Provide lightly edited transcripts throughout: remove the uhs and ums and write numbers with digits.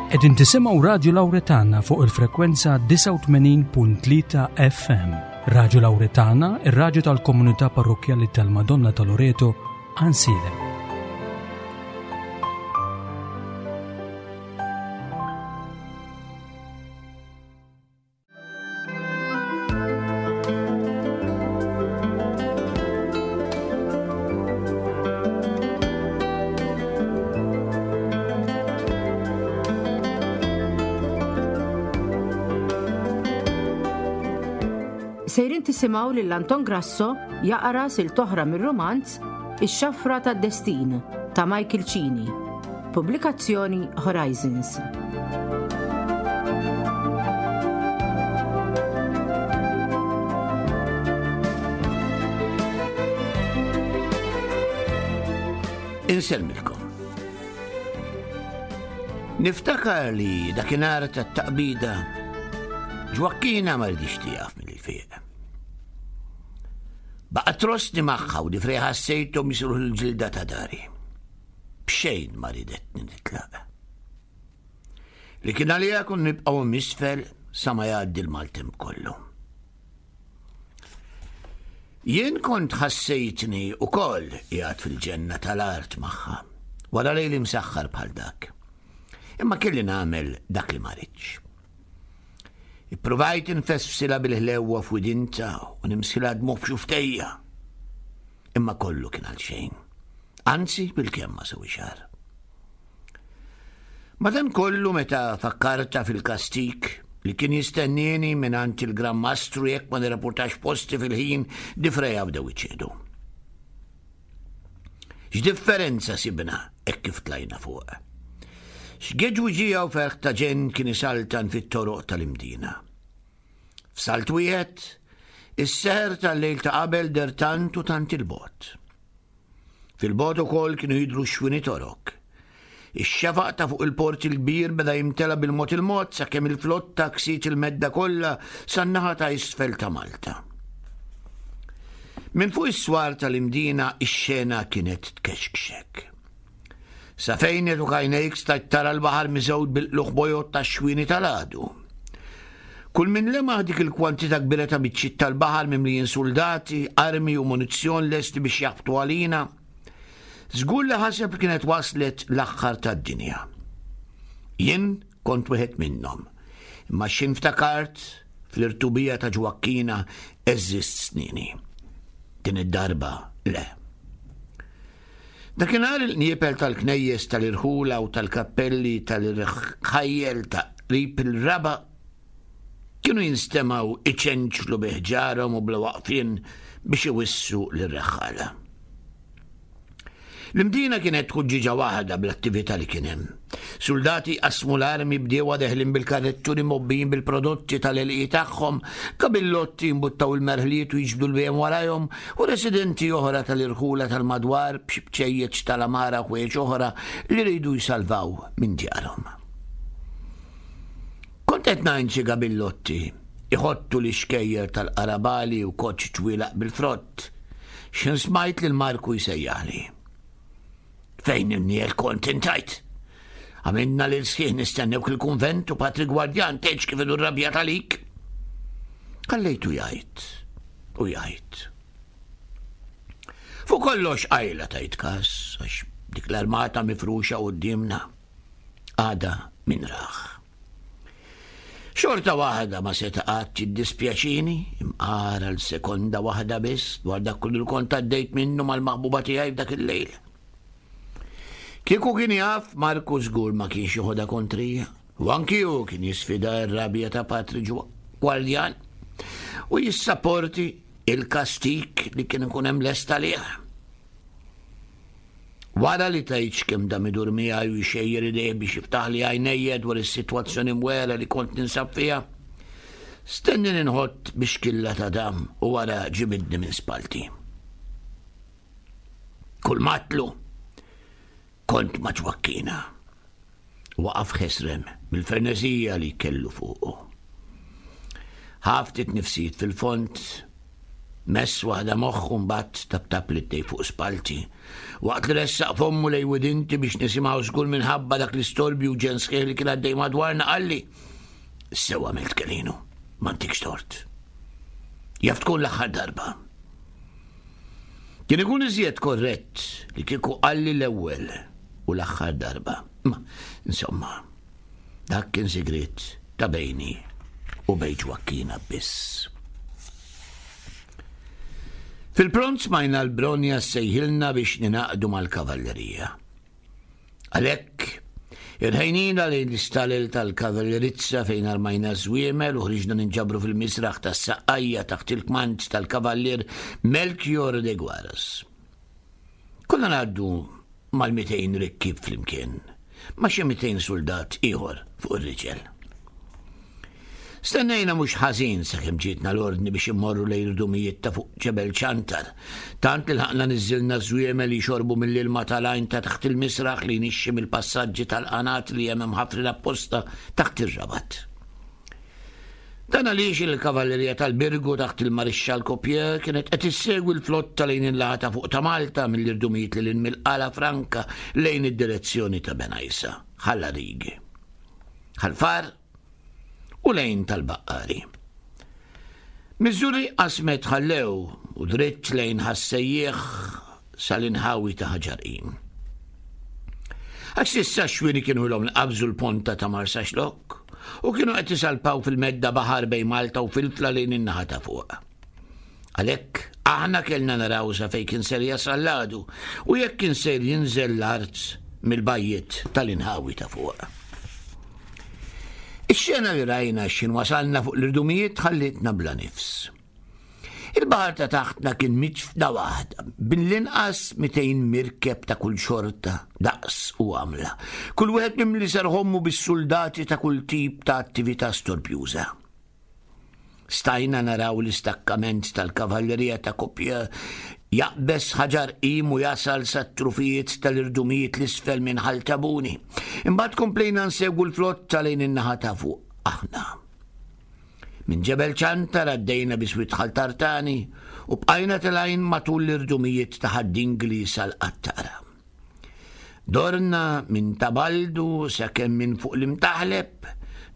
Qegħdin tisimgħu Radju Lawretana fuq il-frekwenza 89.3 FM. Radju Lawretana, ir-radju tal-komunità parrokkjali tal-Madonna ta' Loreto, Ansilem. Sejrin tisimgħu lil Anton Grasso jaqra sil toħra mir-romanz Ix-Xafra tad-Destin ta' Michael Cini. Pubblikazzjoni Horizons. Insellmilkom. Niftakar li dakinhar tat-taqbida Ġwakkina ma rridix tieqaf mill-fiq. Baqa' trostni magħha u difrej ħassejthom jisruħ l-ġilda ta' dari. B'xejn ma ridetni nitlaq. Li kien għalija kun nibqgħu misfel sa ma jgħaddi l-maltemp kollu. Jien kont ħassejtni ukoll qiegħed fil-ġenna tal-art magħha, wara lejl imsaħħar bħal dak. Imma kelli nagħmel dak li ma ridx. Ippruvajt infesfsilha bil-ħlewwa f'widinta u nimsilha dmugħ f'xuftejja. Imma kollu kien għal xejn. Anzi, bil-kemm ma sewi xar. Madankollu meta fakkarta fil-kastig li kien jistennieni mingħand il-Gran Mastru jekk ma nirrapportax posti fil-ħin, difreja bdew iċedu. X'differenza sibna hekk kif tlajna fuq. X'geġwiġija u ferħ ta' ġenn kien isaltan fit-toroq tal-Imdina. F'salt wieħed, is-seħer tal-lejl ta' qabel der tant u tant il-bogħod. Fil-bogħod ukoll kienu jidhru x-xwini torok. Ix-xefaq ta' fuq il-port il-kbir beda jimtela bil-mod il-mod sakemm il-flotta ksiet il-medda kollha san-naħa ta' isfel ta' Malta. Minn fuq is-swar tal-Imdina ix-xena kienet tkexkxek. Sa fejn jagħtuk għajnejk stajt tara l-baħar miżgħud bil-qlugħ bojod tax-xwieni tal-għadu. Kull min lemaħ dik il-kwantità kbira ta' biċċiet tal-baħar mimlijin suldati, armi u munizzjon lesti biex jaħbtu għalina, żgur li ħaseb li kienet waslet l-aħħar tad-dinja. Jien kont wieħed minnhom, imma x'ħin ftakart fl-irtubija ta' Ġwakkina għeżżist snini. Din id-darba le. Dakinhar il-qniepel tal-knejjes tal-irħula u tal-kappelli tal-irħajjel ta' qrib il-raba' kienu jinstemgħu iċenċlu bi ħġarhom u bla waqfien biex iwissu lir-reħħala. L-Imdina kienet ħuġġieġa waħda bl-attività li kien hemm. Suldati jqassmu l-armi bdiewa deħlin bil-karrettuni mgħobbijin bil-prodotti tal-għelieqi tagħhom, kabillotti jimbuttaw il-merħliet u jiġbdu l-bhejjem warajhom, u residenti oħra tal-irħula tal-madwar b'xi bċejjeċ tal-għamara u ħwejjeġ oħra li riedu jsalvaw minn djarhom. Kont qed ngħin xi gabillotti iħottu l-ixkejjer tal-qarabali u koċċ ġwielaq bil-frott, x'ħin smajt lil Marku jsejjaħli. Fejn imniel kont intajt? Għamilna lil sħiħ nistennewk il-kunvent u patri gwardjan tgħidx kif idu rrabjat għalik. Ħallejtu jgħid u jgħid. Fuq kollox qajla tajt kas għax dik l-armata mifruxa qudiemna għada min raħ. Xorta waħda ma seta' qatt jiddispjaċini, imqar għal sekonda waħda biss dwar dak kollu li kont għaddejt minnu mal-maħbuba tiegħi f'dak il-lejl. Kieku kien jaf, Marku żgur ma kienx joħodha kontrija, u anki hu kien jisfida r-rabja ta' Patri Gwardjan u jissaporti il-kastik li kien ikun hemm lest għalih. Wara li tgħidx kemm dam idur miegħi u jxejjer idejh biex jiftaħli għajnejja dwar is-sitwazzjoni mwegħra li kont ninsab fiha, stennini nħott bixkilla ta' dam u wara ġibidni minn spallti. Kull m'għadtlu, kont ma' Ġwakkina. Waqaf ħesrem mill-ferneżija li kellu fuqu. Ħa ftit nifsijiet fil-fond. Mess waħda moħħu mbagħad taptap li fuq spalti. Waqt li ressaq fommu lej widinti biex nisimgħu żgur minħabba dak l-istorbju ġen sħiħ li kien għaddej madwarna qalli. Sew għamilt Kelinu, ma ntikx tort. Jaf tkun l-aħħar darba. Kien ikun iżjed korrett li kieku qalli l-ewwel u l-aħħar darba. Ma, insomma, dak kien sigriet ta' bejni u bejn Ġwakkina biss. Fil-pront smajna l-Bronja ssejħilna biex ninaqdu mal-kavallerija. Għalhekk, irħejnina lejn l-istalel tal-kavallerizza fejn armajna żwiemel u ħriġna ninġabru fil-misraħ tas-saqqajja taħt il-kmand tal-kavallier Melchior de Guaras. Konna ngħaddu mal-200 rikkib flimkien, ma' xi 200 suldat ieħor fuq ir-riġel. Stennejna mhux ħażin sakemm ġietna l-ordni biex immorru lejn irdumijiet ta' fuq Ġebel Ċantar, tant li lħaqna niżżilna ż-żwiemel jixorbu mill-ilma tal-għajn ta' taħt il-misraħ li jnixxi mill-passaġġi tal-qanat li hemm imħaffrin apposta taħt ir-rabat. Dan għaliex il-kavallerija tal-Birgu taħt il-Marixxall Copier kienet qed issegwi l-flotta lejn il-laħa ta' fuq ta' Malta mill-irdumijiet lil hinn mill-Qala Franka lejn id-direzzjoni ta' Benajsa, Ħal Għarig, Ħal Far u lejn tal-Baqqari. Miż-Żurrieq qasmet Ħallew u dritt lejn Ħas-Sejjieħ sal-inħawi ta' Ħaġar Qim. Għax s'issa x-xwieni kienu ilhom li qabżu l-ponta ta' Marsaxlokk u kienu qed isalpaw fil-medda baħar bejn Malta u Filfla lejn in-naħa ta' fuq. Għalhekk aħna kellna naraw sa fejn kien ser jasal l-għadu u jekk kien ser jinżel l-art mill-bajjiet tal-inħawi ta' fuq. Ix-xena li rajna x'ħin wasalna fuq l-irdumijiet ħallietna bla nifs. Il-baħar ta' taħtna kien miġfda waħda, bil-inqas 200 mirkeb ta' kull xorta, daqs u għamla. Kull wieħed mimli serħommu bis-suldati ta' kull tip ta' attività storbjuża. Stajna naraw l-istakkament tal-kavallerija ta' Copieux jaqbeż Ħaġar Qim u jasal sat-trufijiet tal-irdumijiet 'l isfel minn Ħal Tabuni. Imbagħad komplejna nsegwu l-flotta lejn in-naħa ta' fuq aħna. Minn Ġebel Ċantar għaddejna biswit Ħal Tartani u bqajna telgħin matul l-irdumijiet ta' Ħad-Dingli sal-Qattara. Dorna minn Ta' Baldu sakemm minn fuq l-Imtaħleb,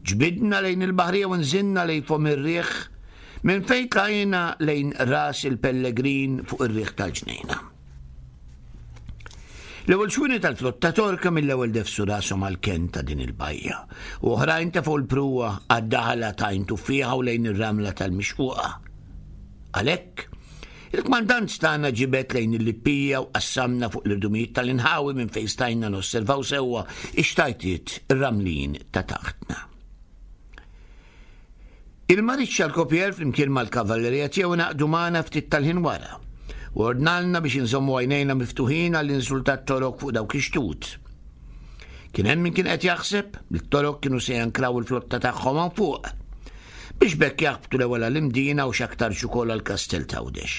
ġbidna lejn il-baħrija u nżilna lejn Fomm ir-Riħ, minn fejn tlajna lejn Ras il-Pellegrin fuq ir-riħ tal-Ġnejna. L-ewwel xwieni tal-flotta Torka mill-ewwel defsu rashom għall-kenn ta' din il-bajja, u oħrajn tefgħu l-pruwa għad-daħla ta' Għajn Tuffieħa u lejn ir-ramla tal-Mixquqa. Għalhekk, il-kmandant tagħna ġibed lejn il-Lippija u qassamna fuq l-irdumijiet tal-inħawi minn fejn stajna nosservaw sewwa x-xtajtiet ir-ramlin ta' taħtna. Il-Marixxal Copier flimkien mal-kavallerija tiegħu ingħaqdu magħna ftit tal-ħin wara u ordnalna biex inżommu għajnejna miftuħin għall-inżul tat-Torok fuq dawk ix-xtut. Kien hemm min kien qed jaħseb li t-Torok kienu se jankraw il-flotta tagħhom hawn fuq biex b'hekk jaħbtu l-ewwel għall-Imdina u x'aktarx ukoll għall-Kastell t'Għawdex.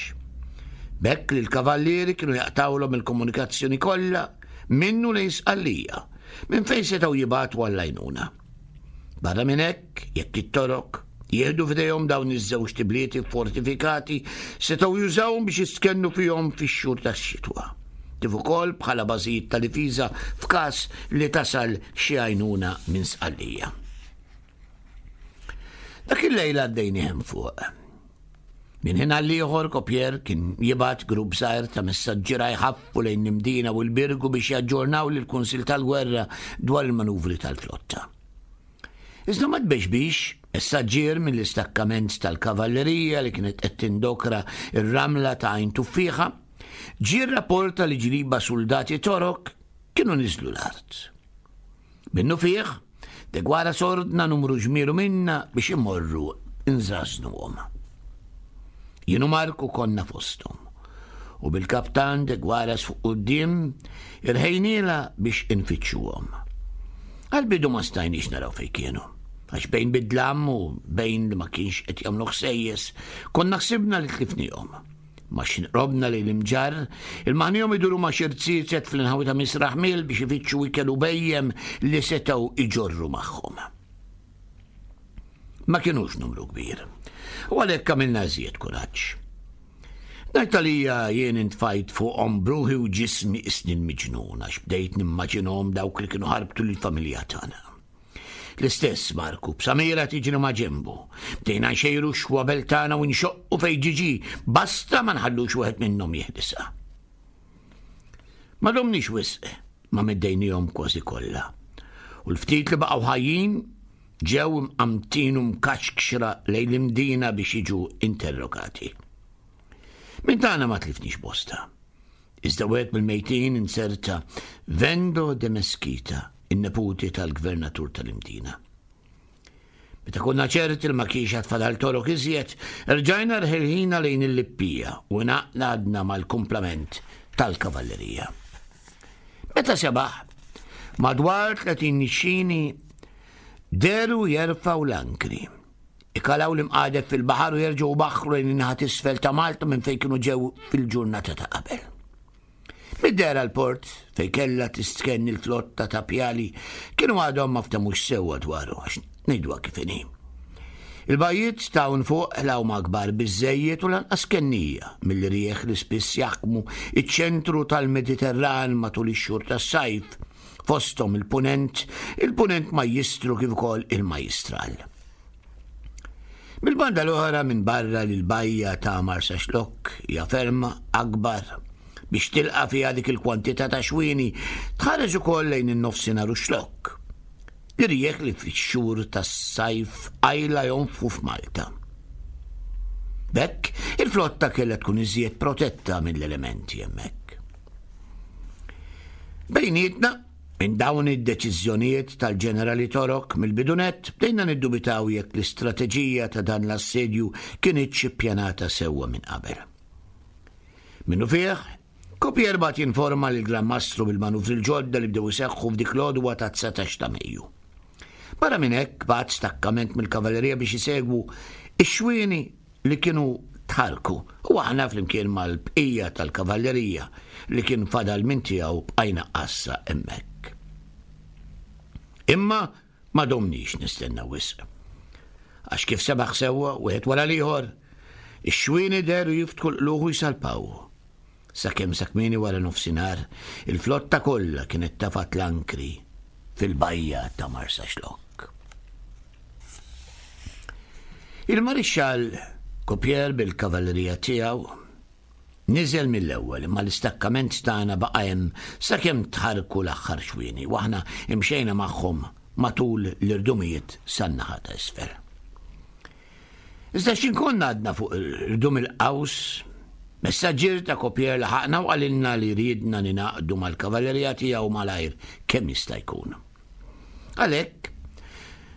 B'hekk lill-kavallieri kienu jaqtgħulhom il-komunikazzjoni kollha minnu lejn Sqallija, minn fejn setgħu jibagħtu għall-għajnuna. Barra minn hekk, jekk it-Torok jieħdu f'idejhom dawn iż-żewġt ibliet iffortifikati, setgħu jużawhom biex jistkennu fihom fix-xhur tax-xitwa, kif ukoll bħala bażijiet ta' difiża f'każ li tasal xi għajnuna minn Sqallija. Dak il-lejl għaddejni hemm fuq. Minn ħin għal ieħor Copier kien jibgħat grupp żgħir ta' messaġġiera jħaffu lejn l-Imdina u l-Birgu biex jaġġornaw lill-Kunsill tal-Gwerra dwar il-manuvri tal-flotta. Iżda ma tbexbix, messaġġier mill-istakkament tal-kavallerija li kienet qed tindokra r-ramla ta' Għajn Tuffieħa, ġie rrapporta li ġriba suldati Torok kienu niżlu l-art. Minnufih, De Guaras ordna numru ġmielu minna biex imorru nżażnuhom. Jien u Marku konna fosthom, u bil-kaptan De Guaras fuq quddiem irħejnielha biex infittxuhom. Għall-bidu ma stajniex naraw fejn kienu, għax bejn bid-dlam u bejn li ma kienx qed jagħmlu ħsejjes, konna ħsibna li tlifnihom. Ma x'ħin qrobna lejn l-Imġarr, ilmaħnihom iduru ma' xi rziezet fl-inħawi ta' Misraħ Miel biex ifittxu ikel u bhejjem li setgħu iġorru magħhom. Ma kinux numru kbir, u għalhekk għamilna iżjed kuraġġ. Ngħid għalija jien intfajt fuqhom bruħi u ġismi qisni l-miġnun għax bdejt nimmaġinhom dawk li kienu ħarbtu lill-familja tagħna. L-istess Marku, b'Samira tiġri ma' ġenbu. Bdejna nxejru x-xwabel tagħna u nxoqqu fejn ġiġi, basta ma nħallux wieħed minnhom jeħdisha. Ma domniex wisq ma meddejnihom kważi kollha. U l-ftit li baqgħu ħajjin ġew imqamtin u mkaxkxra lejn l-imdina biex jiġu interrogati. Minn tagħna ma tlifniex bosta. Iżda wieħed mill-mejtin inserta Vendo de Mesquita, in-neputi tal-gvernatur tal-Imdina. Meta konna ċerti li ma kienx għad fadal torok iżjed, rġajna rħilħina lejn il-Lippija u ngħaqadna mal-kumplament tal-kavallerija. Meta sebaħ, madwar 30 nixxini deru jerfgħu l-ankri. Ikalaw l-imqadef fil-baħar u jerġgħu baħħru lejn in-naħa t'isfel ta' Malta minn fejn kienu ġew fil-ġurnata ta' qabel. Mid-dehra l-port, fejn kellha tistkenn il-flotta ta' pjali, kienu għadhom ma ftemux sewwa dwaru, għax ngħiduha kif inhi. Il-bajjiet ta' hawn fuq la huma kbar biżżejjed u lanqas kennija mill-irjieħ li spiss jaħkmu iċ-ċentru tal-Mediterran matul ix-xhur tas-sajf, fosthom il-Punent, il-Punent Majjistru kif ukoll il-Majjistral. Mill-banda l-oħra minbarra li l-bajja ta' Marsaxlokk hija ferm akbar biex tilqa' fiha dik il-kwantità ta' xwieni, tħares ukoll lejn in-nofsinhar u x-Xlokk. L-irjieħ li fix-xhur tas-sajf qajla jonfħu f'Malta. B'hekk, il-flotta kellha tkun iżjed protetta mill-elementi hemmhekk. Bejnietna, Minn dawn id-deċiżjonijiet tal-ġenerali Torok mill-bidu nett bdejna niddubitaw jekk l-istrateġija ta' dan l-assedju kinitx ippjanata sewwa minn qabel. Minnufih, Copier bagħat jinforma lill-Gran Mastru bil-manuvri l-ġodda li bdew iseħħu f'dik l-għodwa tat-19 ta' Mejju. Barra minn hekk bagħat stakkament mill-kavallerija biex isegwu x-xwieni li kienu tħarrku u aħna flimkien mal-bqija tal-kavallerija li kien fadal minn tiegħu bqajna għassa hemmhekk. Imma ma domniex nistennew wisq. Għax kif sebaħ sewwa wieħed wara l-ieħor, ix-xwieni dehru jiftħu l-qlugħ u jsalpaw. Sakemm sa kmieni wara nofsinhar, il-flotta kollha kienet tafat l-ankri fil-bajja ta' Marsaxlokk. Il-Marixxall Copier bil-kavallerija tiegħu niżel mill-ewwel imma l-istakkament tagħna baqa' hemm sakemm tħarrku l-aħħar xwieni u aħna imxejna magħhom matul l-irdumijiet san-naħa ta' isfel. Iżda x'in konna għadna fuq irdum il-qaws, messaġġier ta' Copier laħaqna u qalilna li riedna ningħaqdu mal-kavallerija tiegħu malajr kemm jista' jkun. Għalhekk,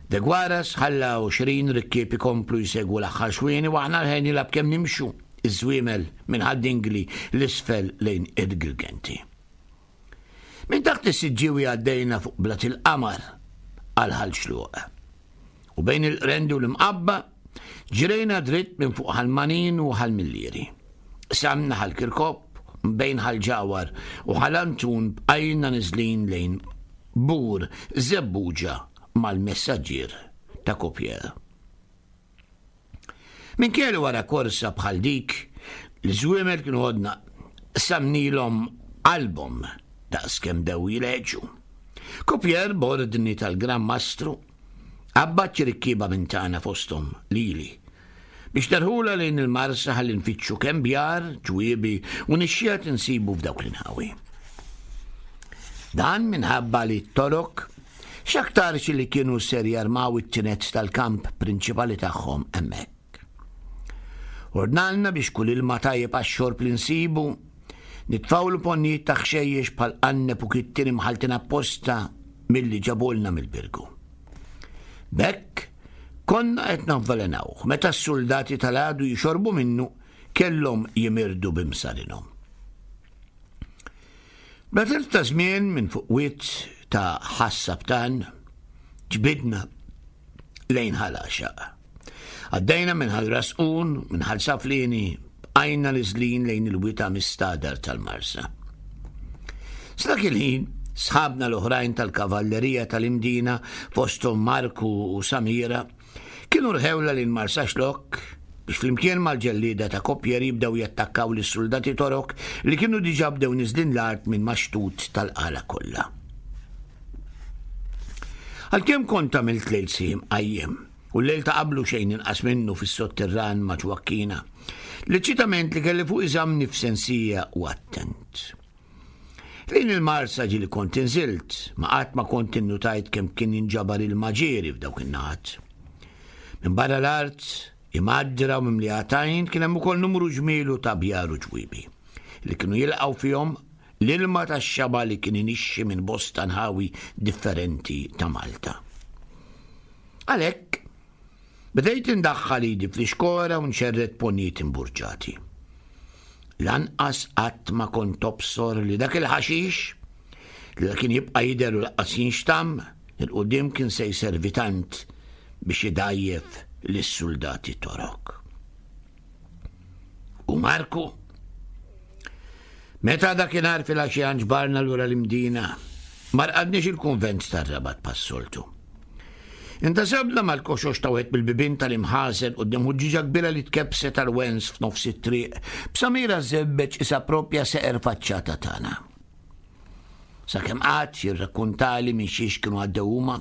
De Guaras ħalla 20 rikkieb ikomplu jsegwu l-aħħar xwieni u aħna rħejn nilgħab kemm nimxu iż-żwiemel minn Ħad-Dingli l-isfel lejn id-Girgenti. Minn taħt is-Siġġiewi għaddejna fuq Blat il-Qamar għal Ħal Xluq. U bejn il-Qrendi u l-Imqabba ġrejna dritt minn fuq Ħal Manin u Ħal Millieri. Qsamna Ħal Kirkop bejn Ħal Ġawhar u Ħal Antun bqajna niżlin lejn Bur Żebbuġa mal-messaġġier ta' Copier. Minkejja li wara korsa bħal dik, l-żwiemel kienu għodna qsamnilhom qalbhom daqs kemm bdew jileġu. Copier b'ordni tal-Gran Mastru qabbad xi rikkieba minn tagħna fosthom lili biex nerħulha lejn il-Marsa ħalli nfittxu kemm bjar, ġwiebi u nixxiegħat insibu f'dawk l-inħawi. Dan minħabba li t-Torok X'aktarx li kienu ser jarmaw it-tined tal-kamp prinċipali tagħhom hemmhekk. Ordnalna biex kull ilma tajjeb għax-xorb li nsibu, nitfgħulu ponnijiet ta' ħxejjex bħal qanneb u kittien imħalltin apposta milli ġabulna mill-Birgu. B'hekk, konna qed navvelenawh meta s-suldati tal-għadu jixorbu minnu kellhom jimirdu b'imsarinhom. Bla telf ta' żmien minn fuq wied ta' Ħas-Sabtan ġbidna lejn Ħal Għaxaq. Għaddejna minn Ħal Rasqun, minn Ħal Saflieni, bqajna niżlin lejn il-wita mistagħdar tal-Marsa. Sa dak il-ħin, sħabna l-oħrajn tal-kavallerija tal-Imdina, fosthom Marku u Samira, kienu rħewla lejn Marsaxlokk. biex flimkien mal-ġellieda ta' Copier jibdew jattakkaw lis-suldati Torok li kienu diġà bdew niżlin l-art minn max-xtut tal-qala kollha. Għalkemm kont għamilt lejl sħiħ imqajjem, u l-lejl ta' qablu xejn inqas minnu fis-sotterran ma' Ġwakkina, l-eċċitament li kelli fuqi żammni f'sensija u attent. Lejn il-Marsa ġieli kont inżilt, ma qatt ma kont innutajt kemm kien jinġabar ilma ġieri f'dawk in-naħat. Minbarra l-art, imgħaddra u mimlija tajn, kien hemm ukoll numru ġmielu ta' bjar u ġwiebi, li kienu jilqgħu fihom l-ilma tax-xaba' li kien inixxi minn bosta nħawi differenti ta' Malta. Għalhekk, bdejt indaħħal idi fl-ixkora u nxerred ponjiet imburġati. Lanqas qatt ma kont tobsor li dak il-ħaxix, li la kien jibqa' jidher u lanqas jinxtamm, 'il quddiem kien se jservi tant biex idgħajjef lis-suldati Torok. U Marku? Meta dakinhar filgħaxija nġbarna lura l-Imdina, ma rqadniex il-kunvent tar-Rabat bħas-soltu. Intasabna mal-koxox ta' wieħed mill-bibien tal-imħażen quddiem ħuġġieġa kbira li tkebbset għall-wens f'nofs it-triq, b'Samira żebbeġ qisha proprja seqer faċċata tagħna. Sakemm qagħad jirrakkuntali minn xiex kienu għaddew huma,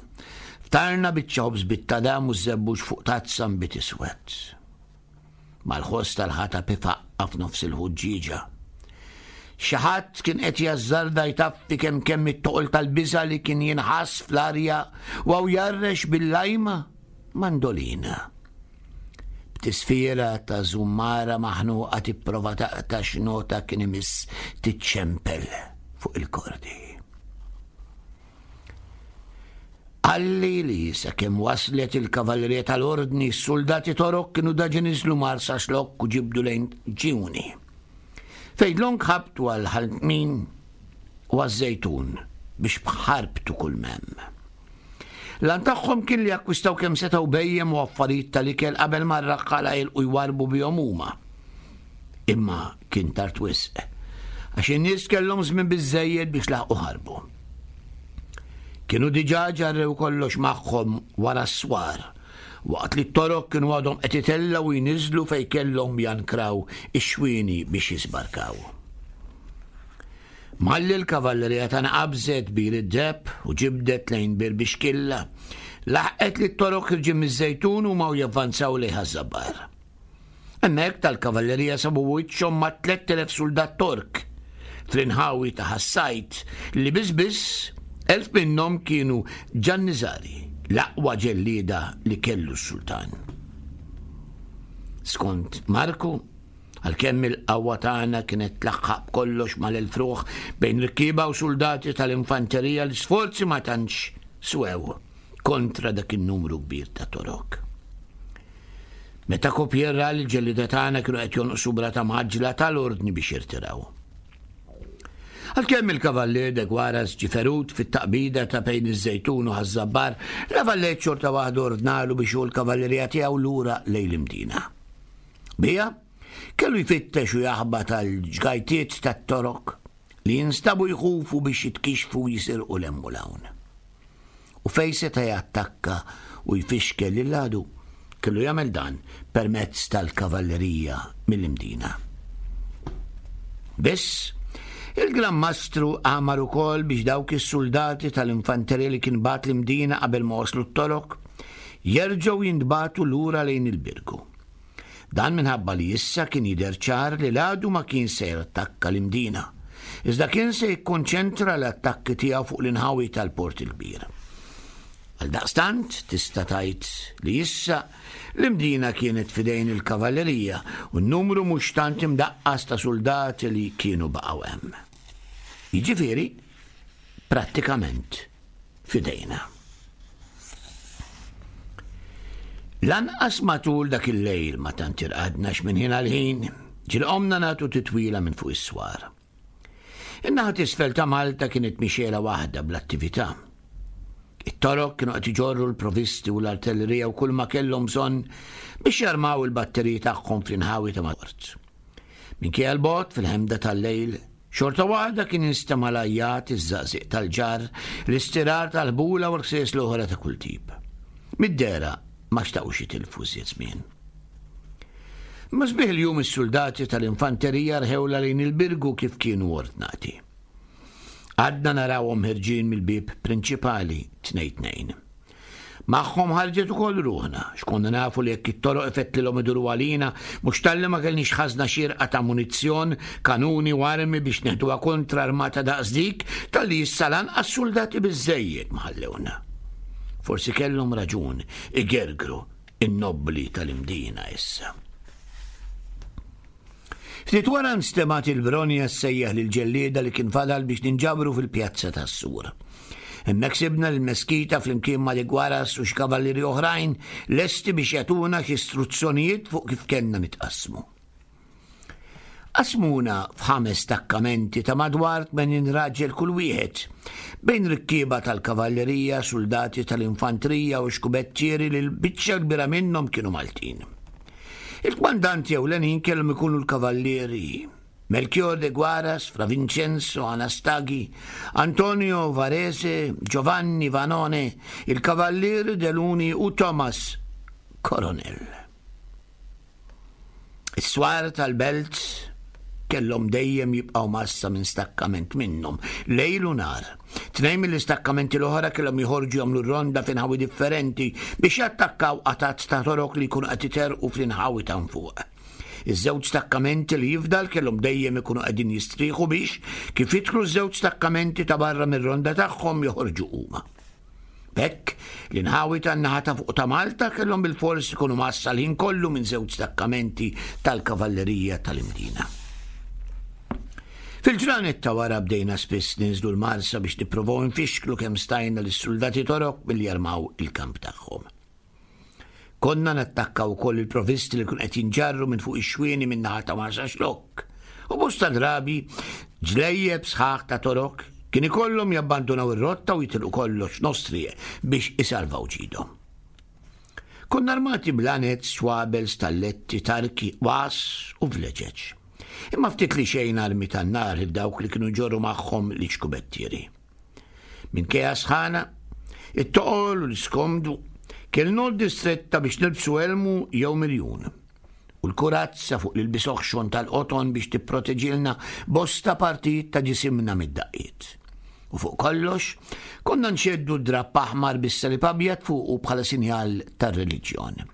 ftarna biċċa ħobż bit-tadam u żebbuġ fuq tazza nbid iswed. Mal-ħoss tal-ħatab ifaqqa' f'nofs il-ħuġġieġa. Xi ħadd kien qed jażżarda jtaffi kemm kemm it-toqol tal-biża' li kien jinħass fl-arja u hawn jgħarrex bil-lajma mandolina. B'tisfira ta' żummara maħnuqa tipprova taqta' x'nota kien imiss tiċċempel fuq il-kordi. Qalli li sakemm waslet il-kavallerija tal-Ordni, s-suldati Torok kienu daġi niżlu Marsaxlokk u ġibdu lejn Ġiwni. Fejn dlonk ħabtu għal Ħal Tmin u għaż-Żejtun biex bħarbtu kull m'hemm. L-għan tagħhom kien li jakkwistaw kemm setgħu bhejjem u affarijiet tal-ikel qabel ma r-raħħala jilqu jwarrbu bihom huma. Imma kien tard wisq, għax in-nies kellhom żmien biżżejjed biex laħqu ħarbu. Kienu diġà ġarrew kollox magħhom wara s-swar, waqt li t-Torok kienu għadhom qed itellgħu u jniżżlu fejn kellhom jankraw ix-xwieni biex jiżbarkaw. Malli l-kavallerija tagħna qabżet Bir id-Deheb u ġibdet lejn Bir Bixkilla, laħqet lit-Torok ħirġin miż-Żejtun huma u javvanzaw lejn Ħaż-Żabbar. Hemmhekk tal-kavallerija sabu wiċċhom ma' 3,000 suldat Tork fl-inħawi ta' Ħas-Sajd li biss biss 1,000 minnhom kienu Ġanniżari, l-aqwa ġellieda li kellu s-sultan. Skont Marku, għalkemm il-qawwa tagħna kienet tlaħħaq b'kollox mal-1,000 ruħ bejn rikkieba u suldati tal-infanterija l-isforzi ma tantx swew kontra dak in-numru kbir ta' Torok. Meta Copier ra li l-ġellieda tagħna kienu qed jonqsu b'rata mgħaġġla ta l-ordni biex jirtiraw. Għalkemm il-Kavallier de Guaras ġie ferut fit-taqbida ta' bejn iż-Żejtun u Ħaż-Żabbar, La Valette xorta waħda ordnalu biex hu l-kavallerija tiegħu lura lejn l-Imdina. Biha, kellu jfittex u jaħbat għall-ġgajtiet tat-Torok li jinstabu jħufu biex jitkixxfu u jisirqu 'l hemm u 'l hawn. U fejn seta' jattakka u jfixkel lill-għadu, kellu jagħmel dan permezz tal-kavallerija mill-Imdina. Biss, il-Gran Mastru amar ukoll biex dawk is-suldati tal-infanterija li kien bagħat l-Imdina qabel ma waslu t-Torok, jerġgħu jintbagħtu lura lejn il-Birgu. Dan minħabba li issa kien jidher ċar li l-għadu ma kien se jattakka l-Imdina, iżda kien se jikkonċentra l-attakki tiegħu fuq l-inħawi tal-Port il-Kbir. Għaldaqstant tista' tgħid li issa l-Imdina kienet f'idejn il-kavallerija u n-numru mhux tant imdaqqas ta' suldati li kienu baqgħu hemm. Jiġifieri, prattikament f'idejna. Lanqas matul dak il-lejl ma tant irqadna x'minn ħin għal ħin ġieli qomna nagħtu titwila minn fuq is-swar. In-naħa t'isfel ta' Malta kienet mixegħla waħda bl-attività. It-Torok kienu qed iġorru l-provisti u l-artillerija u kulma kellhom bżonn biex jarmaw il-batteriji tagħhom fl-inħawi ta' Mort. Minkejja l-bogħod fil-ħemda tal-lejl, xorta waħda kien jinstema' l-għajjat, iż-żaqżiq tal-ġarr, l-istirar tal-ħbula u l-ħsies l-oħra ta' kull tip. Mid-dehra ma xtaqux jitilfu iżjed żmien. Imma sbieħ il-jum is-suldati tal-infanterija rħewla lejn il-Birgu kif kienu ordnati. Għadna narawhom ħerġin mill-bieb prinċipali tnejn tnejn. Magħhom ħarġet ukoll ruħna, x'konna nafu li jekk it-toroq ifettlilhom iduru għalina, mhux talli ma kellniex ħażna xierqa ta' munizzjon, kanuni u armi biex neħduha kontra armata daqs dik, talli issa lanqas suldati biżżejjed ma ħallewna. Forsi kellhom raġun igergru in-nobbli tal-Imdina issa. Ftit wara nstemgħet il-bronja ssejjaħ lill-ġellieda li kien fadal biex ninġabru fil-pjazza tas-sur. Hemmhekk sibna lil Meskita flimkien ma' Ligwaras u xi kavallieri oħrajn lesti biex jagħtuna xi istruzzjonijiet fuq kif kellna nitqassmu. Qasmuna f'ħames stakkamenti ta' madwar 80 raġel kull wieħed, bejn rikkieba tal-kavallerija, suldati tal-infantrija u xkubettieri li l-biċċa kbira minnhom kienu Maltin. Il-kmandanti ewlenin kellhom ikunu l-kavallieri Melchior de Guaras, Fra Vincenzo Anastagi, Antonio Varese, Giovanni Vanone, il-Kavallier de Luni u Thomas Coronel. Is-swar tal-belt kellhom dejjem jibqgħu massa minn stakkament minnhom, lejl u nhar. Tnejn mill-istakkamenti l-oħra kellhom joħorġu jagħmlu ronda f'inħawi differenti biex jattakkaw qatgħat ta' torok li jkunu qed iterqu fl-inħawi ta' fuq. Iż-żewġ stakkamenti li jifdal kellhom dejjem ikunu qegħdin jistrieħu biex, kif jidħlu ż-żewġ stakkamenti ta' barra mir-ronda tagħhom joħorġu huma. B'hekk, l-inħawi tan-naħa ta' fuq ta' Malta kellhom bilfors ikunu mgħassa l-ħin kollu minn żewġ stakkamenti tal-kavallerija tal-Imdina. Fil-ġranet ta' wara bdejna spiss ninżlu l-Marsa biex nipprovaw infixklu kemm stajna lis-suldati Torok milli jarmaw il-kamp tagħhom. Konna nattakkaw ukoll il-provisti li kun qed jinġarru minn fuq ix-xwieni minn naħa ta' Marsaxlokk. U bosta drabi ġlejjeb sħaħ ta' torok kien ikollhom jabbandunaw ir-rotta u jitilqu kollox nostrieq biex isalvaw ġidhom. Konna armati b'lanez, xwabel, stalletti, tarki, was u vleġeġ. Imma ftit li xejn armi tan-nar dawk li kienu ġorru magħhom l-iċkubettieri. Minkejja sħana, it-toqol u l-iskomdu, kellna għoddi stretta biex nilbsu elmu jew mirjun. U l-kurazza fuq l-ilbies oħxon tal-qoton biex tipproteġilna bosta partijiet ta' ġisimna mid-daqqiet. U fuq kollox, konna nxeddu d-drapp aħmar bis-salib abjad fuqu bħala sinjal tar-reliġjon.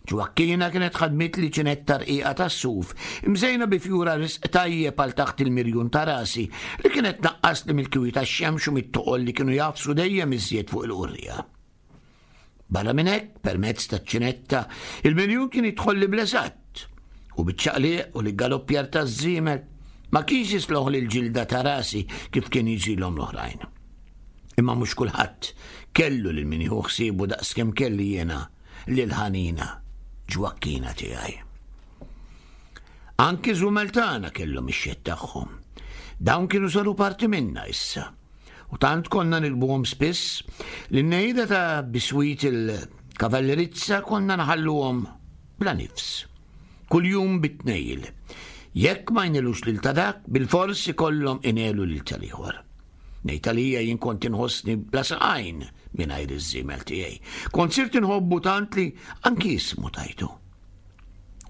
Ġwakkina kienet ħadmitli ċinetta rqiqa tas-suf, imżejna bi fjura risq tajjeb għal taħt il-mirjun ta' rasi, li kienet tnaqqasli mill-kiwi tax-xemx u mit-toqol li kienu jagħfsu dejjem iżjed fuq il-qurriegħa. Barra minn hekk, permezz taċ-ċinetta, il-mirjun kien jidħolli bl-eżatt, u biċ-ċaqliq u l-galoppjar taż-żiemel ma kienx jisloħli l-ġilda ta' rasi kif kien jiġrilhom l-oħrajn. Imma mhux kulħadd kellu lil min jieħu ħsiebu daqskemm kelli jiena lill-ħanina Ġwakkina tiegħi. Anki żumel tagħna kellhom ix-xedd tagħhom. Dawn kienu saru parti minna issa. U tant konna nilbuhom spiss li n-nejda ta' biswit il-kavallerizza konna nħalluhom bla nifs. Kuljum bit-tnejl. Jekk ma jnelux lil ta' dak, bilfors ikollhom inelu lil tal-ieħor. Ngħid għalija jien kont inħossni bla saqajn mingħajr iż-żiemel tiegħi. Kont sirt inħobbu tant li anki ismu tajtu.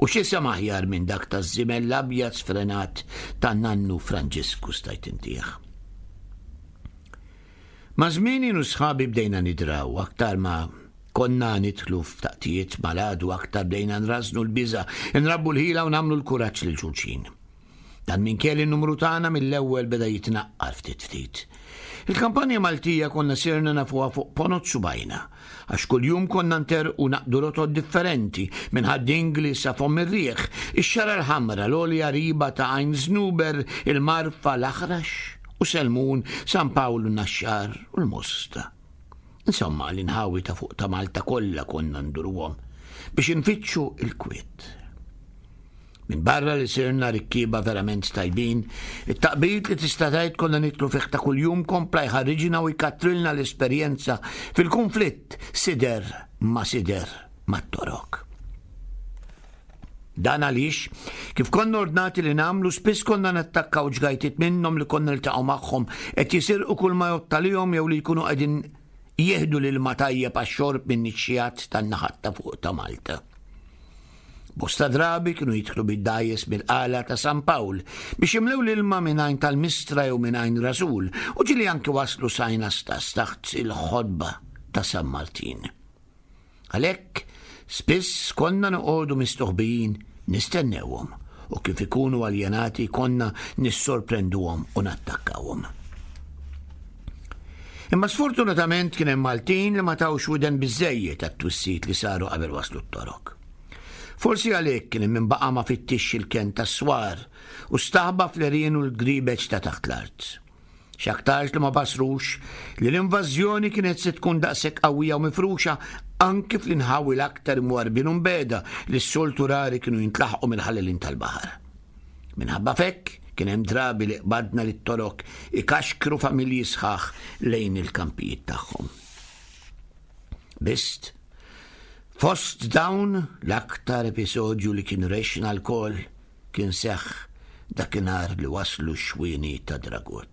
U x'isem aħjar minn dak taż-żiemel l-abjad sfrenat ta' nannu Franġisku stajt intih. Ma' żmien jien u sħabi bdejna nidraw aktar ma konna nidħlu f'taqtijiet mal-għadu aktar bdejna nrażnu l-biża', nrabbu l-ħila u nagħmlu l-kuraġġ lil xulxin. Dan minkejja li n-numru tagħna mill-ewwel beda jitnaqqar ftit ftit. Il-kampanja Maltija konna sirna nafuha fuq ponot subajna, għax kuljum konna nterqu naqdu rotot differenti minn Ħad-Dingli sa Fomm ir-Riħ, ix-Xagħra l-Ħamra, l-għolja riba ta' Għajn Żnuber, il-Marfa, l-Aħrax u Selmun, San Pawl u Naxxar u l-Mosta. Insomma, l-inħawi ta' fuq ta' Malta kollha konna nduruhom biex infittxu l-kwiet. Minbarra li sirna rikkieba verament tajbin, it-taqbid li tista' tgħid konna nidħlu fih ta' kuljum kompla jħarriġna u jkattrilna l-esperjenza fil-kunflitt sider ma' sider mat-Torok. Dan għaliex, kif konna ordnati li nagħmlu, spiss konna nattakkaw ġgajtiet minnhom li konna niltaqgħu magħhom qed jisirqu kull ma jgħodd għalihom jew li jkunu qegħdin jieħdu l-ilma tajjeb għax-xorb minn nixxiegħat tan-naħat ta' fuq ta' Malta. Bosta drabi kienu jidħlu bid-dgħajjes mill-qala ta' San Pawl biex jimlew l-ilma minn għajn tal-Mistra jew minn għajn Rasul u ġieli anki waslu s'għajn Astas taħt il-ħodba ta' San Martin. Għalhekk, spiss konna noqogħdu mistoħbijin nistennewhom u kif ikunu aljenati konna nissorprenduhom u nattakkawhom. Imma sfortunatament kien hemm Maltin li ma tawx widen biżżejjed għat-twissijiet li saru qabel waslu t-Torok. Forsi għalhekk kien hemm min baqa' ma fittixx il-kenn tas-swar u staħba fl-għerien u l-gribeġ ta' taħt l-art. X'aktarx li ma basrux li l-invażjoni kienet se tkun daqshekk qawwija u mifruxa anki fl-inħawi l-aktar imwarrbin u mbiegħda li s-soltu rari kienu jintlaħqu mill-ħallelin tal-baħar. Minħabba f'hekk, kien hemm drabi li qbadna lit-Torok ikaxkru familji sħaħ lejn il-kampijiet tagħhom. Biss, fost dawn l-aktar episodju li kien rexna lkoll kien seħħ dakinhar li waslu x-xwieni ta' Dragut.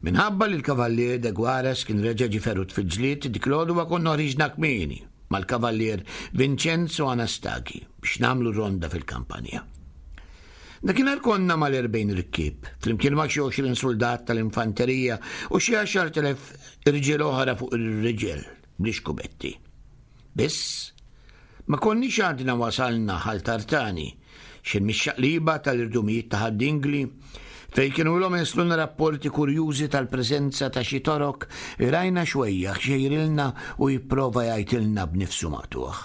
Minħabba li l-Kavallier de Guares kien reġa' ġie ferut fil-ġlied, dik l-għodwa konna ħriġna kmieni mal-Kavallier Vincenzo Anastagi biex nagħmlu ronda fil-kampanja. Dakinhar konna mal-40 rikkieb, flimkien ma' xi 20 suldat tal-infanterija u xi 10,000 irġiel oħra fuq ir-riġel bl-ixkubetti. Biss, ma konniex għadna wasalna Ħal Tartani, x'in mix-xaqliba tal-irdumijiet ta' Ħad-Dingli, fejn kienu ilhom jeslulna rapporti kurjużi tal-preżenza ta' xi Torok, rajna xwejjaħ xejrilna u jipprova jgħajtilna b'nifsu maqtugħ.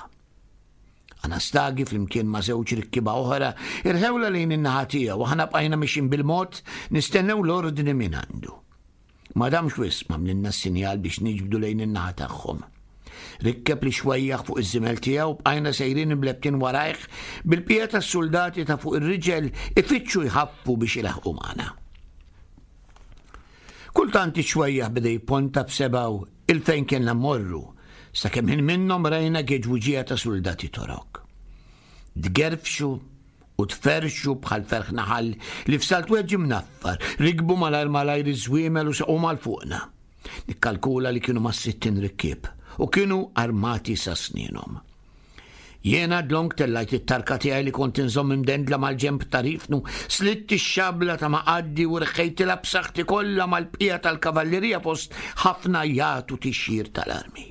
Anastagi flimkien ma' żewġ rikkieba oħra irħewla lejn in-naħa tiegħu u aħna bqajna mixjin bil-mod nistennew l-ordni mingħandu. Ma damx wisq m'għamlilna s-sinjal biex niġbdu lejn in-naħa tagħhom. Rikkeb li xwejjaħ fuq iż-żimel tiegħu bqajna sejrin imlebbtin warajh bil-bqija tas-suldati ta' fuq ir-riġel ifittxu jħaffu biex ilaħħqu magħna. Kultant ix-xwejjaħ beda jipponta b'sebgħu 'il fejn kellna mmorru, sakemm ħin minnhom rajna geġwuġija ta' suldati Torok. Tgerfxu u tferrxu bħal ferħ naħal li f'salt wieħed ġie mnaffar, rikbu malajr malajr iż-żwiemel u saqu mal fuqna. Nikkalkula li kienu mas-60 rikkieb u kienu armati sa snienhom. Jiena dlonk tellajt it-tarka tiegħi li kont inżomm imdendla mal-ġenb ta' rifnu, slitt ix-xabla ta' maqaddi u rħejtilha b'saħħti kollha mal-bqija tal-kavallerija fost ħafna għajat u tixjir tal-armi.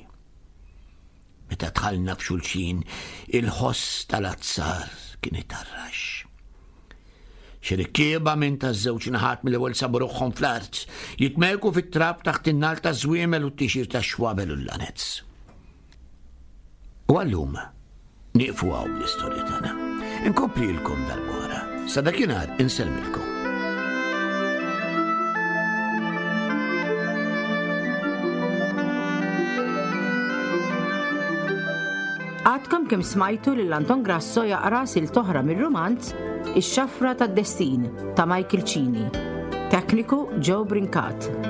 Meta dħalna f'xulxin, il-ħoss tal-azzar kien itarrax. Xi rikkieba minn taż-żewġ naħat mill-ewwel sabu ruħhom fl-art, jitmerku fit-trab taħt in-nar taż-żwiemel u t-tixir tax-xwabel u l-lanez. U għallum, Nieqfu hawn bl-istorja tagħna. Inkomplilkom darb'oħra. Sa dakinhar insellmilkom. Għadkom kemm smajtu lil Anton Grasso jaqra silt oħra mir-rumanz Ix-Xafra tad-Destin ta' Michael Cini. Tekniku Joe Brincat.